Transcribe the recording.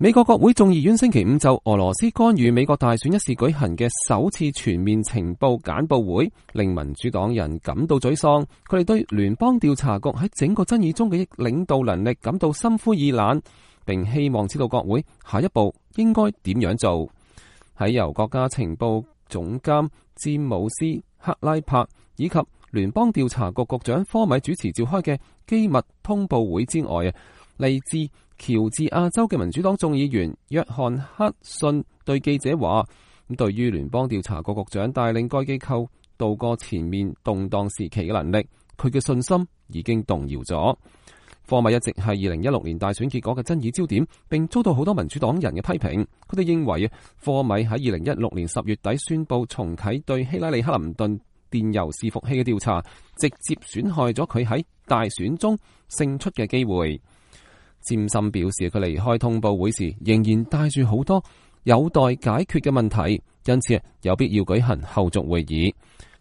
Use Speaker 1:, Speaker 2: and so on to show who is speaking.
Speaker 1: 美國國會眾議院星期五就俄羅斯干預美國大選一事舉行嘅首次全面情報簡報會，令民主黨人感到沮喪。佢哋對聯邦調查局喺整個爭議中嘅領導能力感到心灰意冷，並希望知道國會下一步應該點樣做。喺由國家情報總監詹姆斯·克拉柏以及聯邦調查局局長科米主持召開嘅機密通報會之外，嚟自喬治亞州嘅民主黨眾議員約翰克遜對記者話：咁對於聯邦調查局局長帶領該機構度過前面動盪時期嘅能力，佢嘅信心已經動搖咗。科米一直係2016年大選結果嘅爭議焦點，並遭到好多民主黨人嘅批評。佢哋認為科米喺2016年10月底宣布重啟對希拉里克林頓電郵伺服器嘅調查，直接損害咗佢喺大選中勝出嘅機會。詹森表示，佢離開通報會時仍然帶住好多有待解決嘅問題，因此有必要舉行後續會議。